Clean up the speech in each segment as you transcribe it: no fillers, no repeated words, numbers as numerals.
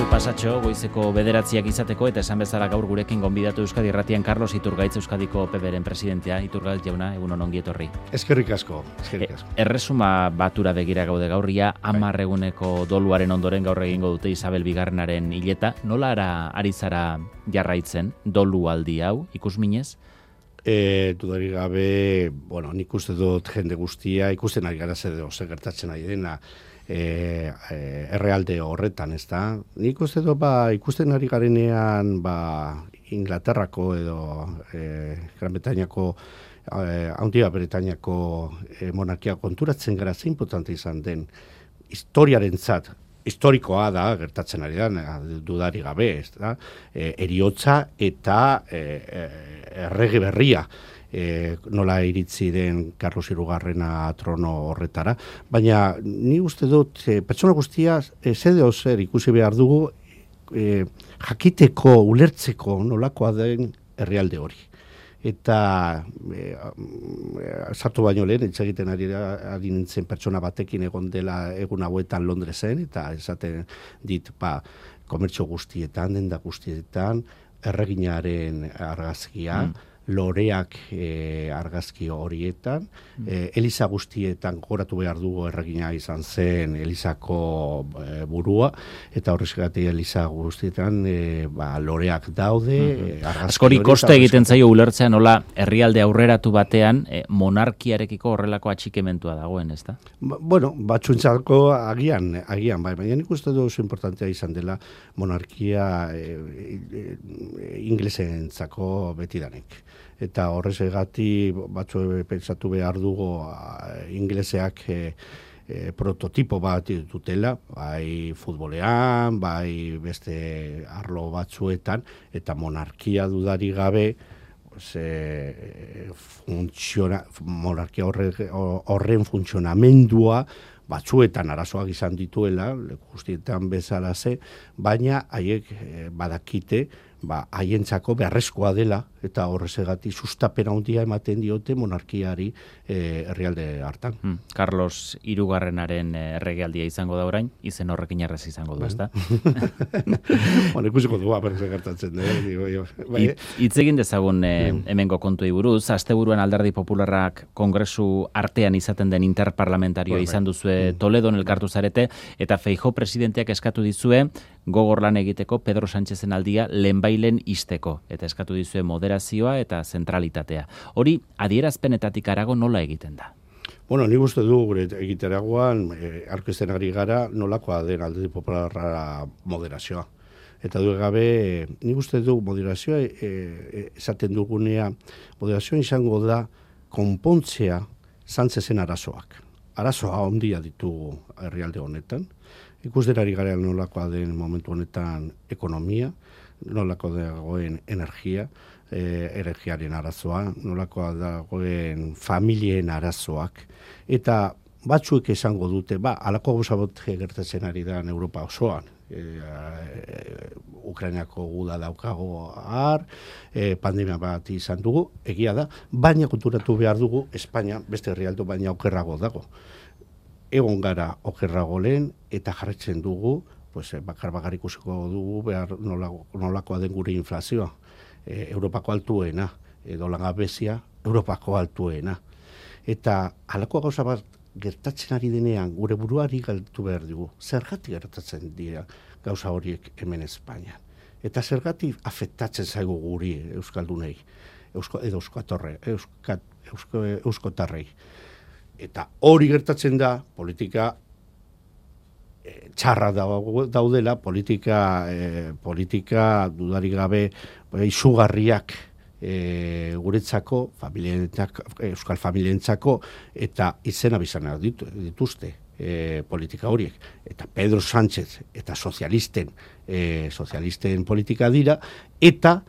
Momentu pasatxo, goizeko 9 izateko, eta esan bezala gaur gurekin gonbidatu Euskadi Irratian Carlos Iturgaitz, Euskadiko PBren presidentea. Iturgaitz jauna, egun ongi etorri. Eskerrik asko. Erresuma batura begira gaude gaurria, 10 eguneko doluaren ondoren gaur egingo dute Isabel Bigarrenaren hileta. Nola ari zara jarraitzen dolu aldi hau, ikusminez? Dudarik gabe, nik uste dut jende guztia, ikusten ari gara zer gertatzen ari dena, errealde horretan, ez da? Nik uste dut, ikusten ari garenean, Inglaterrako edo Gran Bretainiako, Handia Bretainiako monarkia konturatzen gara zein importante izan den historiarentzat, historikoa da, gertatzen ari da, dudari gabe, ez da? Heriotza eta errege berria. Nola iritzi den Carlos Hirugarrena trono horretara, baina ni uste dut pertsona guztia zede zer ikusi behar dugu jakiteko, ulertzeko nolakoa den herrialde hori. Eta sartu baino lehen, egiten ari nintzen pertsona batekin egon dela egun hauetan Londresen, eta esaten dit, komertzio guztietan, denda guztietan, erreginaren argazkia, loreak argazki horietan, Eliza guztietan goratu behar dugu erregina izan zen Elizako burua, eta horrezgatik Eliza guztietan loreak daude. Askori koste egiten zaio ulertzea nola herrialde aurreratu batean monarkiarekiko horrelako atxikementua dagoen, ez da? Batzuentzako agian, baina nik uste du oso importantea izan dela monarkia inglesentzako betidanik. Eta horrezagatik batzu pentsatu behar dugu ingleseak prototipo bat dutela, bai futbolean, bai beste arlo batzuetan, eta monarkia dudari gabe, monarkia horren funtzionamendua batzuetan arazoak izan dituela, guztietan bezala baina haiek badakite, haientzako beharrezkoa dela, eta horrezagatik sustapena handia ematen diote monarkiari herrialde hartan. Carlos Hirugarrenaren erregealdia izango da orain, izen horrekin errez izango du, ezta? Ikusiko du, gertatzen. Hitz egin dezagun hemengo kontuei buruz, asteburuan Alderdi Popularrak kongresu artean izaten den interparlamentarioa izan duzue Toledon elkartu zarete, eta Feijóo presidenteak eskatu dizue gogor lan egiteko Pedro Sánchezen aldia lehenbailen isteko, eta eskatu dizue moderazioa eta zentralitatea. Hori, adierazpenetatik harago nola egiten da? Nik uste du gure egiteragoan aurkezten ari gara nolakoa den Alderdi Popularra moderazioa. Eta du gabe, nik uste du moderazioa esaten dugunea, moderazioa izango da konpontzea Sánchezen arazoak. Arazoa ondia ditugu herrialde honetan. Ikusten ari gara nolakoa den momentu honetan ekonomia, nolako dagoen energiaren arazoa, nolakoa dagoen familien arazoak, eta batzuek esango dute, halako gauza bat gertatzen ari da Europa osoan. Ukrainako guda daukago pandemia bat izan dugu, egia da, baina konturatu behar dugu, Espainia beste herrialde baina okerrago dago. Egon gara okerrago lehen, eta jarretzen dugu, bakar ikusiko dugu behar nolakoa den gure inflazioa. Europako altuena, edo langabezia, Europako altuena. Eta halako gauza bat gertatzen ari denean, gure buruari galtu behar dugu. Zergatik gertatzen dira gauza horiek hemen Espainian. Eta zergatik afektatzen zaigu guri euskaldunei, edo euskotarrei. Eta hori gertatzen da, politika txarra daudela, politika dudari gabe izugarriak guretzako, euskal familientzako, eta izena bizana dituzte politika horiek. Eta Pedro Sánchez eta sozialisten politika dira, eta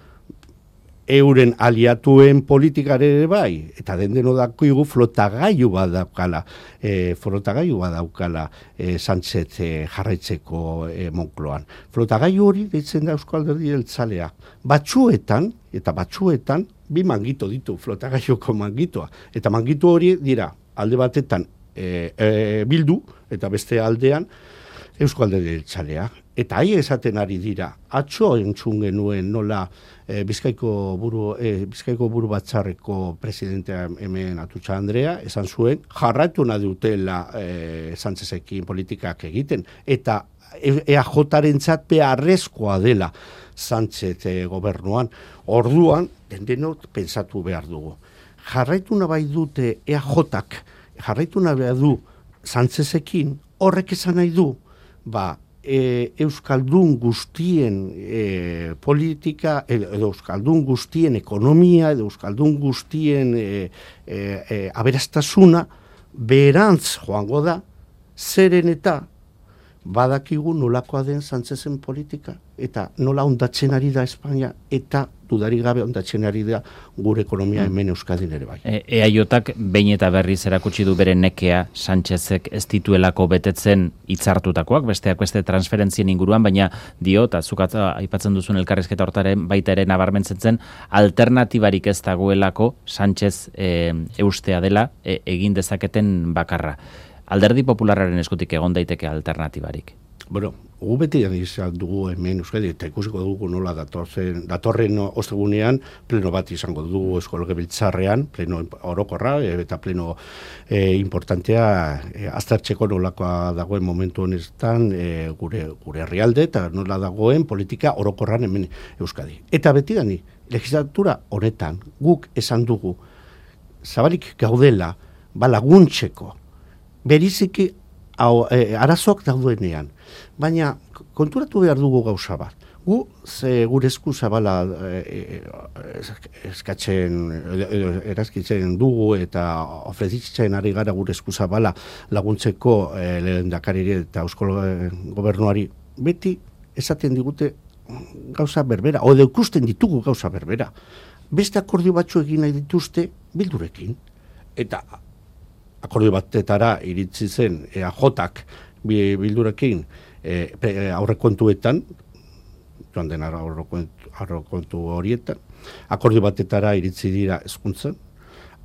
euren aliatuen politikare ere bai, eta dendeno dakigu flotagailu bat daukala Sánchez jarraitzeko Moncloan. Flotagailu hori deitzen da Euskal Alderdi Jeltzalea. Batzuetan, bi mangito ditu flotagailuko mangitoa. Eta mangitu hori dira alde batetan Bildu, eta beste aldean Eusko Alderdi Jeltzalea. Eta hai esaten ari dira, atzo entzun genuen nola Bizkaiko buru batzarreko presidentea hemen Atutxa Andrea, esan zuen, jarraitu nahi dutela Sánchezekin politikak egiten, eta EAJ-rentzat beharrezkoa dela Sánchez gobernuan. Orduan, denok pentsatu behar dugu. Jarraitu nahi dute EAJ-ak, jarraitu nahi du Sánchezekin, horrek esan nahi du, Euskaldun guztien politika, edo Euskaldun guztien ekonomia, edo Euskaldun guztien aberastasuna, berantz joango da, zeren eta badakigu nolakoa den Sánchezen politika, eta nola ondatzen ari da Espainia, eta dudarik gabe ondatzen ari da gure ekonomia hemen Euskadin ere bai. EAJak behin eta berriz erakutsi du bere nekea Sánchezek ez dituelako betetzen hitzartutakoak, besteak beste transferentzien inguruan, baina dio, eta zuk aipatzen duzun elkarrizketa hortaren baita ere nabarmentzen zen, alternatibarik ez dagoelako Sánchez eustea dela egin dezaketen bakarra. Alderdi Popularraren eskutik egon daiteke alternatibarik. Bueno, gu beti izan dugu hemen Euskadi, eta ikusiko dugu nola datorren ostegunean pleno bat izango dugu Eusko Legebiltzarrean, pleno orokorra eta pleno importantea aztertzeko nolakoa dagoen momentu honetan gure herrialde eta nola dagoen politika orokorran hemen Euskadi. Eta beti gani, legislatura honetan guk esan dugu zabalik gaudela laguntzeko beriziki arazoak daudenean, baina konturatu behar dugu gauza bat. Gure esku zabala erazkitzen dugu eta ofrezitzen ari gara gure esku zabala laguntzeko lehendakariri eta Eusko Gobernuari beti esaten digute gauza berbera, o ikusten ditugu gauza berbera. Beste akordio batzu egin nahi dituzte Bildurekin, eta akordio batetara iritsi zen EAJak Bildurekin aurrekontuetan, joan den aurrekontu horietan, akordio batetara iritsi dira hezkuntzan,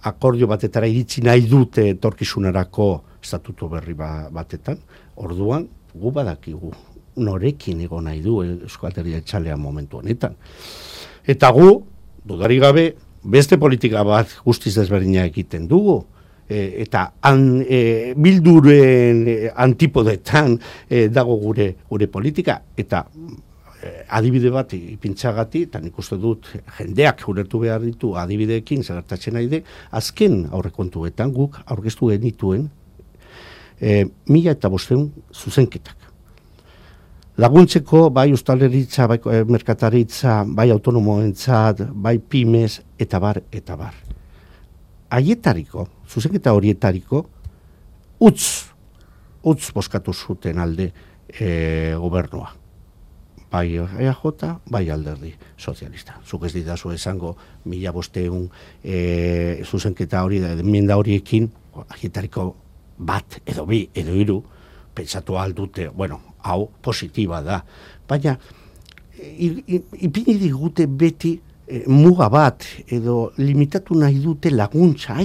akordio batetara iritsi nahi dute etorkizunarako estatutu berri batetan, orduan gu badakigu norekin egon nahi du Eusko Alderdi Jeltzalea momentu honetan. Eta gu, dudarik gabe, beste politika bat guztiz desberdina egiten dugu, eta Bilduren antipodetan dago gure politika, eta adibide bat ipintzagati, eta nik uste dut jendeak ulertu behar ditu adibideekin zagertatzen nahi de, azken aurrekontuetan guk aurkeztu genituen 1.500 zuzenketak. Laguntzeko bai ustaleritza, bai merkataritza, bai autonomoentzat, bai pymes, eta bar. Haietariko, zuzenketa horietariko, utz boskatu zuten alde gobernua. Bai EAJ, bai Alderdi Sozialista. Zuk ez didazu esango 1.500 zuzenketa hori, enmienda horiekin, haietariko bat, edo bi, edo hiru, pentsatu aldute, hau positiba da. Baina, ipini digute beti muga bat, edo limitatu nahi dute laguntza,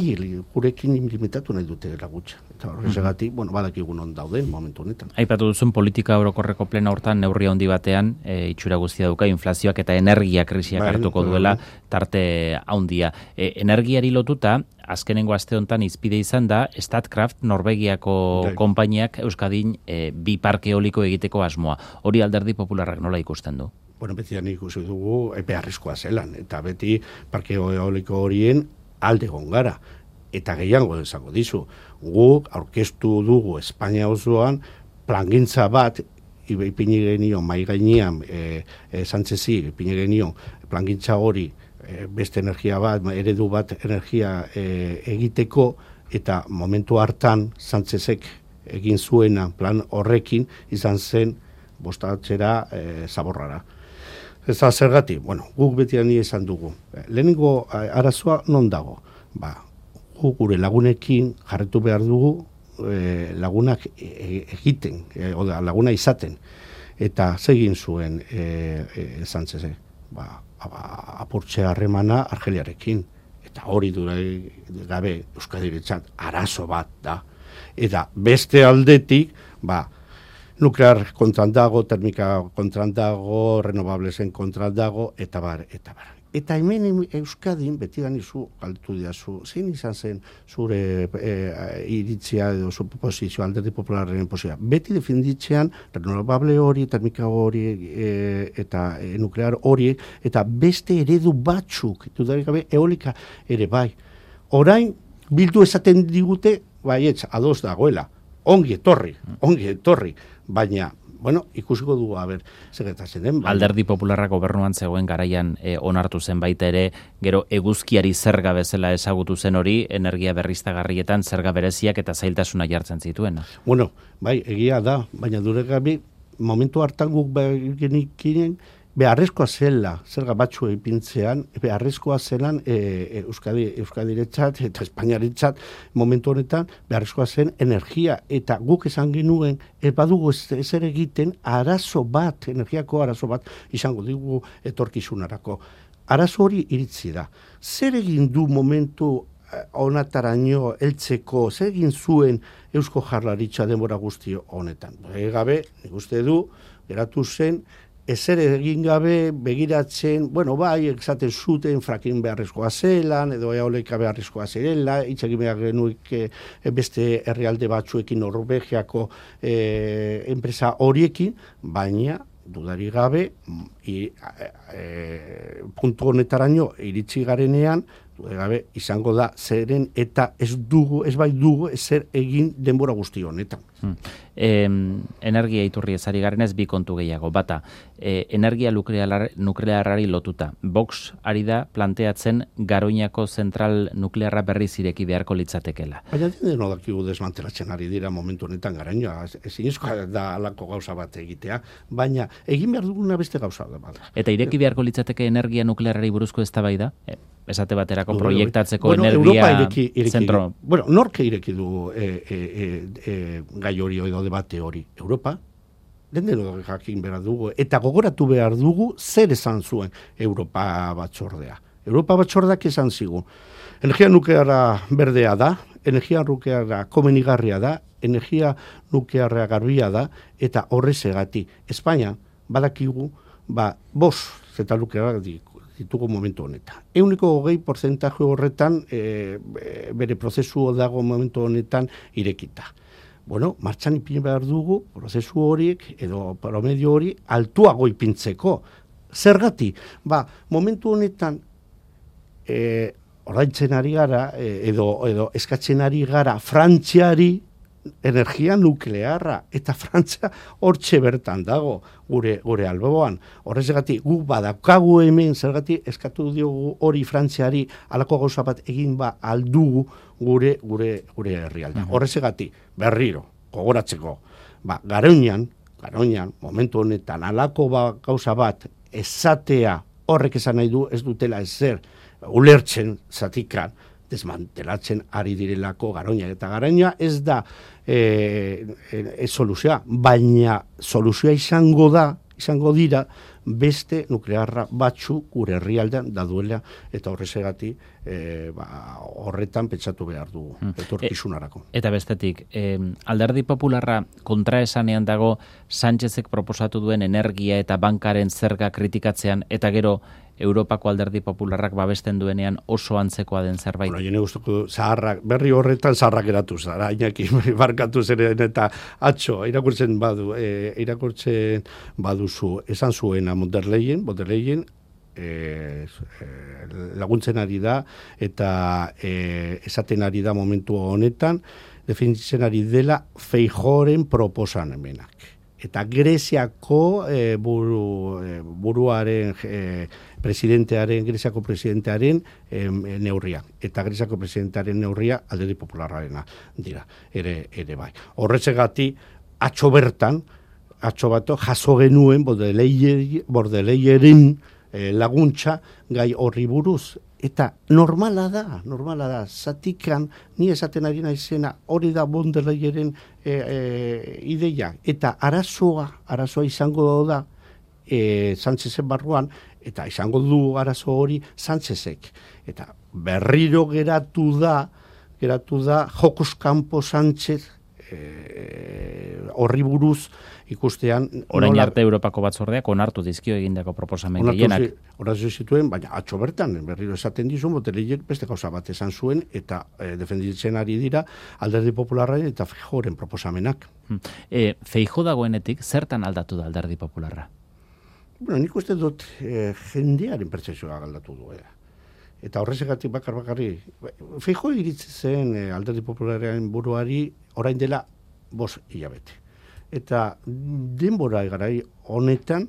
gurekin limitatu nahi dute laguntza. Eta horregatik, badakigun on dauden momentu honetan. Aipatu duzun politika orokorreko plena hortan neurri handi batean, itxura guztia dauka, inflazioak eta energia krisiak hartuko duela tarte handia. Energiari lotuta, azkenengo aste honetan izpide izan da, Statkraft Norvegiako konpainiak Euskadin bi parke eoliko egiteko asmoa. Hori Alderdi Popularrak nola ikusten du? Beti ikusi dugu beharrezkoa zelan, eta beti parke eoliko horien alde gongara. Eta gehiago esango dizu, guk aurkeztu dugu Espainia osoan plangintza bat, ipini genion, mai gainean, Sánchezi, ipini genion, plangintza hori, beste energia bat, eredu bat energia egiteko, eta momentu hartan Sánchezek egin zuena plan horrekin izan zen bostatzera zaborrara. Ez da zergatik, guk beti esan dugu. Lehenengo arazoa non dago? Gure lagunekin jarretu behar dugu lagunak egiten, laguna izaten. Eta zegin zuen Sánchezek, apurtze harremana Argeliarekin. Eta hori gabe Euskadirentzat arazo bat da. Eta beste aldetik, nuklear kontran dago, termika kontran dago, renovablesen kontran dago, eta bar, eta bar. Eta hemen Euskadin, beti ganizu, galtu diazu, zein izan zen zure iritzia edo zu posizio, Alderdi Popularraren posizioa. Beti defenditzean, renovable hori, termika hori, eta nuklear hori, eta beste eredu batzuk, dudarik gabe, eolika ere bai. Orain, bildu esaten digute, baietz, ados dagoela, ongi etorri, baina, bueno, ikusiko dugu, segretatzen den. Alderdi Popularra gobernuan zegoen garaian onartu zen baita ere, gero eguzkiari zerga bezala ezagutu zen hori, energia berriztagarrietan zerga bereziak eta zailtasuna jartzen zituen. Bueno, bai, egia da, baina duregabe, momentu hartan guk genikinen, beharrezkoa zela, zerga batzu ipintzean, beharrezkoa zelan Euskadiretzat eta Espainiaretzat momentu honetan beharrezkoa zen energia, eta guk esan genuen badugu ezer egiten arazo bat, energiako arazo bat izango digu etorkizunarako. Arazo hori iritzi da. Zer egin du momentu honataraino heltzeko, zer egin zuen Eusko Jaurlaritza denbora guzti honetan? Gabe, nik uste du, geratu zen, ezer egin gabe begiratzen, bueno, bai, esaten zuten fracking beharrezkoa zelan, edo eolika beharrezkoa zerela, itxegin behar genuik beste herrialde batzuekin Norvegiako enpresa horiekin, baina dudari gabe, puntu honetaraino iritsi garenean, gabe izango da zeren eta ez bai dugu ezer egin denbora guzti honetan. Energia iturri ezari garenez bi kontu gehiago. Bata, energia nuklearrari lotuta. Vox ari da planteatzen Garoñako zentral nuklearra berriz ireki beharko litzatekela. Baina deno dakigu desmantelatzen ari dira momentu honetan Garoña. Ezinezkoa da alako gauza bat egitea, baina egin behar duguna beste gauza da. Eta ireki beharko litzateke energia nuklearrari buruzko eztabaida? Esate baterako proiektatzeko energia zentro. Bueno, norke ireki du gai hori edo debate hori? Europa? Dendero jakin behar dugu. Eta gogoratu behar dugu zer esan zuen Europa batzordea. Europa batzordak esan zigun. Energia nuklearra berdea da, energia nuklearra komenigarria da, energia nuklearra garbia da, eta horrezegati. Espainia badakigu, zeta nuklearra ditugu momentu honetan. 20% horretan bere prozesu dago momentu honetan irekita. Bueno, martxan ipin behar dugu prozesu horiek edo promedio hori altuago ipintzeko. Zergati, momentu honetan ordaintzen ari gara edo eskatzen ari gara Frantziari energia nuklearra, eta Frantzia hortxe bertan dago gure alboan. Horrezgatik guk badaukagu hemen, zergatik eskatu diogu hori Frantziari halako gauza bat egin aldugu gure herrialda. Horrezgatik berriro gogoratzeko, Garoñan momentu honetan halako gauza bat esatea horrek esan nahi du ez dutela ezer ulertzen zatikan desmantelatzen ari direlako Garoña. Eta Garoña ez da soluzioa, baina soluzioa izango dira beste nuklearra batzu gure herrialdean da duela, eta horrezegati horretan pentsatu behar dugu, etorkizunarako. Eta bestetik, Alderdi Popularra kontraesanean dago Sánchezek proposatu duen energia eta bankaren zerga kritikatzean, eta gero Europako Alderdi Popularrak babesten duenean oso antzekoa den zerbait. Bueno, jene guztuko berri horretan zaharrak eratu zara, Iñaki barkatu zeren eta atxo, irakurtzen baduzu, esan zuena Monderleyen laguntzen ari da, eta esaten ari da momentu honetan, definitzen ari dela Feijóoren proposamenak. Eta Greziako buruaren Greziako presidentearen neurria. Eta Greziako presidentearen neurria Alderdi Popularrarena dira, ere bai. Horretzegati, atxo bato, jaso genuen Bordeleyeren laguntza gai horri buruz. Eta normala da, zatikan, ni esaten ari naizena, hori da Bordeleyeren ideia. Eta arazoa izango da Sánchezen barruan, eta izango du arazo hori Sánchezek. Eta berriro geratu da Jokos Kanpo Sánchez horri buruz ikustean... Orain arte Europako batzordeak onartu dizkio egindako proposamen gehienak. Onartu zituen, baina atxo bertan, berriro esaten dizu, Botelellek beste gauza bat esan zuen, eta defenditzen ari dira Alderdi Popularraren eta Feijóoren proposamenak. Feijóo dagoenetik, zertan aldatu da Alderdi Popularra? Bueno, nik uste dut jendearen pertsepzioa aldatu du. Eta horrezegatik bakarri, Feijóo iritsi zen Alderdi Popularraren buruari orain dela 5 hilabete. Eta denbora garai honetan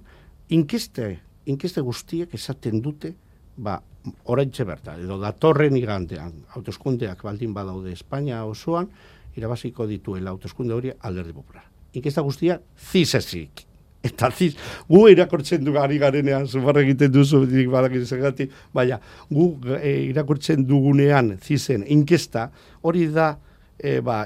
inkeste guztiek esaten dute, oraintxe bertan, edo datorren igandean, hauteskundeak baldin badaude Espainia osoan, irabaziko dituela hauteskunde hori Alderdi Popular. Inkesta guztiak zizezik. Eta gu irakortzen du ari garenean, zumarra egiten duzu, badakizegati, baina gu irakortzen dugunean zizen inkesta, hori da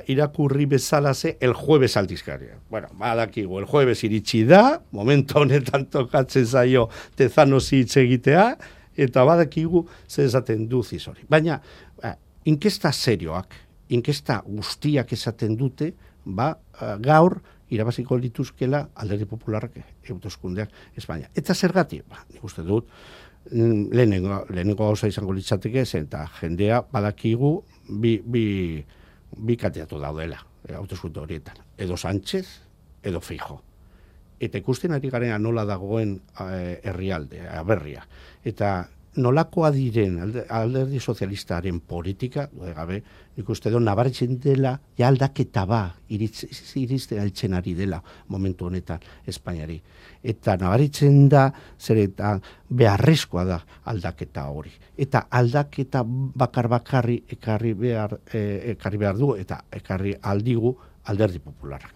irakurri bezalaze el jueves aldizkaria. Bueno, badakigu, el jueves iritsi da, momento honetan tokatzen zaio Tezanos hitz egitea, eta badakigu zer esaten du hori. Baina, inkesta serioak, inkesta guztiak esaten dute, gaur irabaziko lituzkela Alderdi Popularrak hauteskundeak Espainia. Eta zergatik, nik uste dut, lehenengo gauza izango litzateke, eta jendea badakigu bi kandidatu daudela hauteskunde horietan. Edo Sánchez, edo Feijóo. Eta ikusten ari garen nola dagoen herrialde, aberria. Eta nolakoa diren Alderdi Sozialistaren politika, gabe, nik uste dut, nabaritzen dela, aldaketa irizten altzen ari dela momentu honetan Espainiari. Eta nabaritzen da, zer eta beharrezkoa da aldaketa hori. Eta aldaketa bakarri ekarri behar du, eta ekarri aldigu Alderdi Popularrak.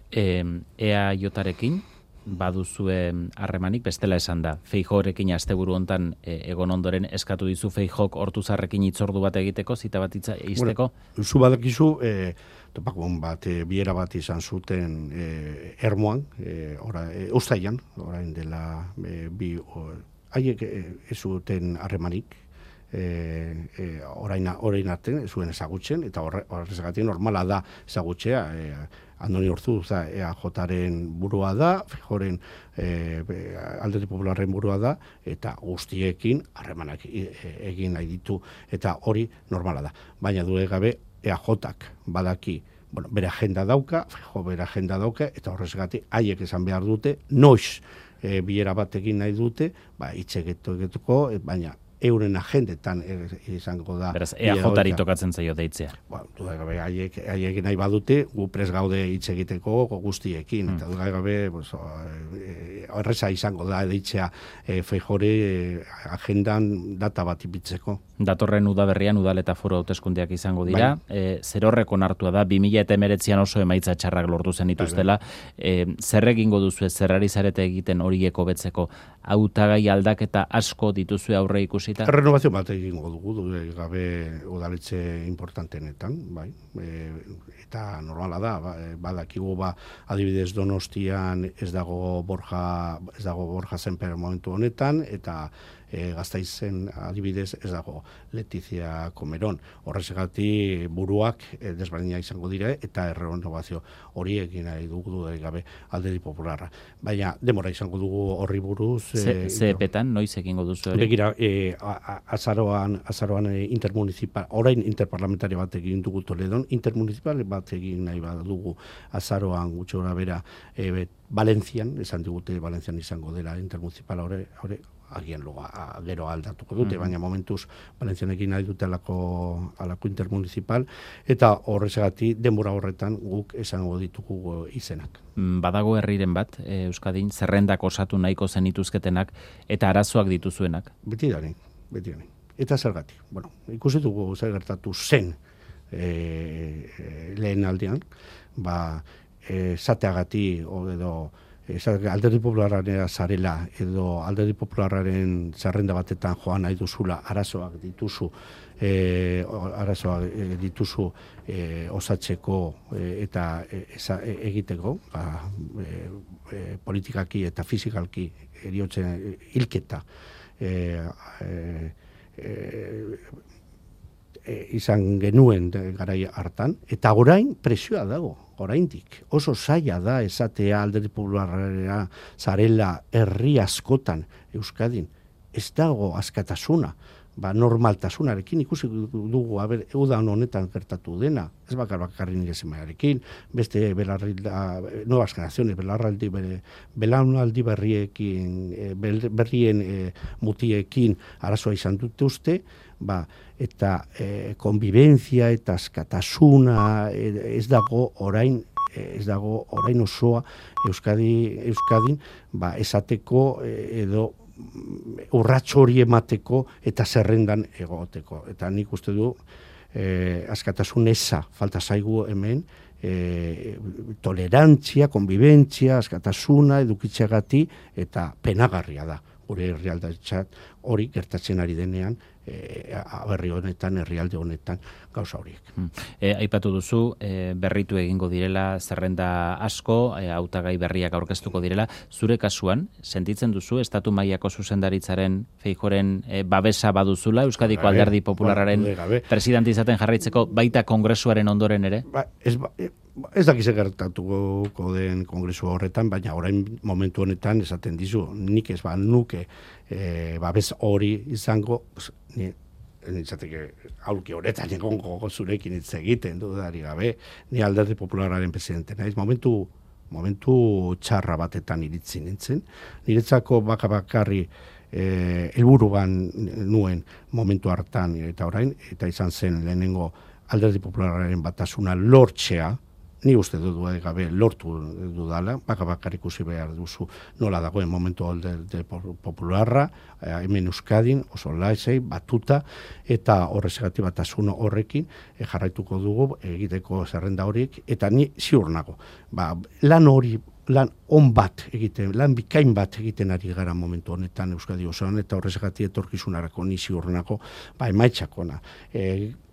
EAJarekin baduzue harremanik, bestela esan da. Feijóorekin asteburu hontan egon ondoren eskatu dizu Feijóok Ortuzarrekin hitzordu bat egiteko, zita bat izteko? Bueno, zu badakizu, topakon bat, biera bat izan zuten Ermuan, Uztailan, orain dela haiek ez zuten harremanik, orain arte zuen ezagutzen, eta horrezagatik normala da ezagutzea, Andoni Ortuz EAJaren burua da, Feijóoren Alderdi Popularren burua da, eta guztiekin harremanak egin nahi ditu, eta hori normala da. Baina du gabe EAJak badaki, bere agenda dauka, Feijóo bere agenda dauka, eta horrezagatik haiek esan behar dute, noiz bilera bat egin nahi dute, hitz egituko, baina euren agendetan izango da. Beraz, EAJari tokatzen zaio deitzea. Gabe, haiek nahi badute, gu pres gaude hitz egiteko guztiekin. Eta gabe, horreza izango da deitzea Feijóore agendan data bat ipitzeko. Datorren udaberrian udal eta foro hauteskundeak izango dira. Zerorrek onartua da, 2019an oso emaitza txarrak lortu zen ituztela. Zer egingo duzu, zerrari zarete egiten horiek hobetzeko, hautagai aldaketa asko dituzue aurre ikusi? Renovazio bat egingo dugu, gabe udaletxe importantenetan, bai. Eta normala da, badakigu adibidez Donostian ez dago Borja Semper momentu honetan, eta Gasteizen adibidez ez dago Letizia Comerón. Horrezagatik buruak desberdina izango dira, eta renovazio hori egin nahi dugu gabe Alderdi Popularra. Baina demora izango dugu horri buruz. Zeepetan, noiz egingo duzu hori? Begira, azaroan intermunicipal, orain interparlamentaria bat egin dugu Toledon, intermunicipal bat egin nahi bat dugu azaroan gutxo gora bera Valentzian, esan digute Valentzian izango dela intermunicipal hori, agian gero aldatuko dute, baina momentuz Valentzian egin nahi dute alako intermunicipal, eta horrezagatik denbora horretan guk esango ditugu izenak. Badago herriren bat, Euskadin, zerrendak osatu nahiko zenituzketenak, eta arazoak dituzuenak? Beti dani. Eta zergatik. Ikusi dugu zer gertatu zen lehen aldean, zateagati edo Alderdi Popularraren zarela edo Alderdi Popularraren zerrenda batetan joan nahi duzula arazoak dituzu osatzeko eta egiteko, politikaki eta fizikalki eriotzen hilketa izan genuen garai hartan, eta orain presioa dago. oraindik. Oso zaila da esatea Alderdi Popularra zarela herri askotan Euskadin. Ez dago askatasuna. Normaltasunarekin ikusi dugu, udan honetan gertatu dena, ez bakarri nire semaiarekin, beste nuevas generaciones, belaunaldi berrien mutiekin arazoa izan dute uste, eta konbibenzia eta askatasuna ez dago orain osoa Euskadin esateko edo urrats hori emateko eta zerrendan egoteko. Eta nik uste du askatasun eza falta zaigu hemen, tolerantzia, konbibentzia, askatasuna, edukitzeagati eta penagarria da. Gure herrialdetzat hori gertatzen ari denean, herri honetan, herrialde honetan gauza horiek. Aipatu duzu, berritu egingo direla zerrenda asko, hautagai berriak aurkeztuko direla. Zure kasuan, sentitzen duzu estatu mailako zuzendaritzaren Feijóoren babesa baduzula, Euskadiko Alderdi Popularraren presidente izaten jarraitzeko, baita kongresuaren ondoren ere? Ez dakize gertatuko den kongresu horretan, baina orain momentu honetan esaten dizu, nik ez nuke babes hori izango, nintzateke aurki horretan egongo zurekin hitz egiten dudari gabe, ni Alderdi Popularraren presidente naiz, momentu txarra batetan iritzi nintzen, niretzako bakarri helburuan nuen momentu hartan eta orain, eta izan zen lehenengo Alderdi Popularraren batasuna lortzea, ni uste dudu gabe lortu dudala, bakar ikusi behar duzu nola dagoen momentu Alderdi Popularra, hemen Euskadin, oso laizei, batuta, eta horrezagatik batasun horrekin jarraituko dugu egiteko zerrenda horiek, eta ni ziur nago. Lan bikain bat egiten ari gara momentu honetan Euskadi osoan, eta horrezagatik etorkizunarako ni ziur nago, emaitzakona.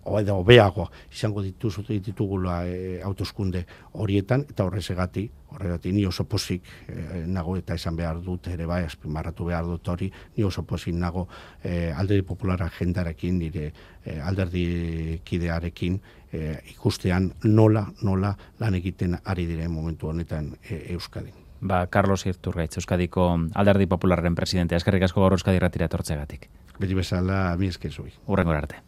Edo hobeago izango ditugula hauteskunde horietan, eta horregatik ni oso pozik nago, eta esan behar dut ere bai, azpimarratu behar dut hori, ni oso pozik nago Alderdi Popularra jendarekin, nire alderdi kidearekin ikustean nola lan egiten ari diren momentu honetan Euskadin. Carlos Iturgaitz, Euskadiko Alderdi Popularraren presidentea, eskerrik asko gaur Euskadi Irratira etortzeagatik. Beti bezala, mi esker zui. Hurrengora arte.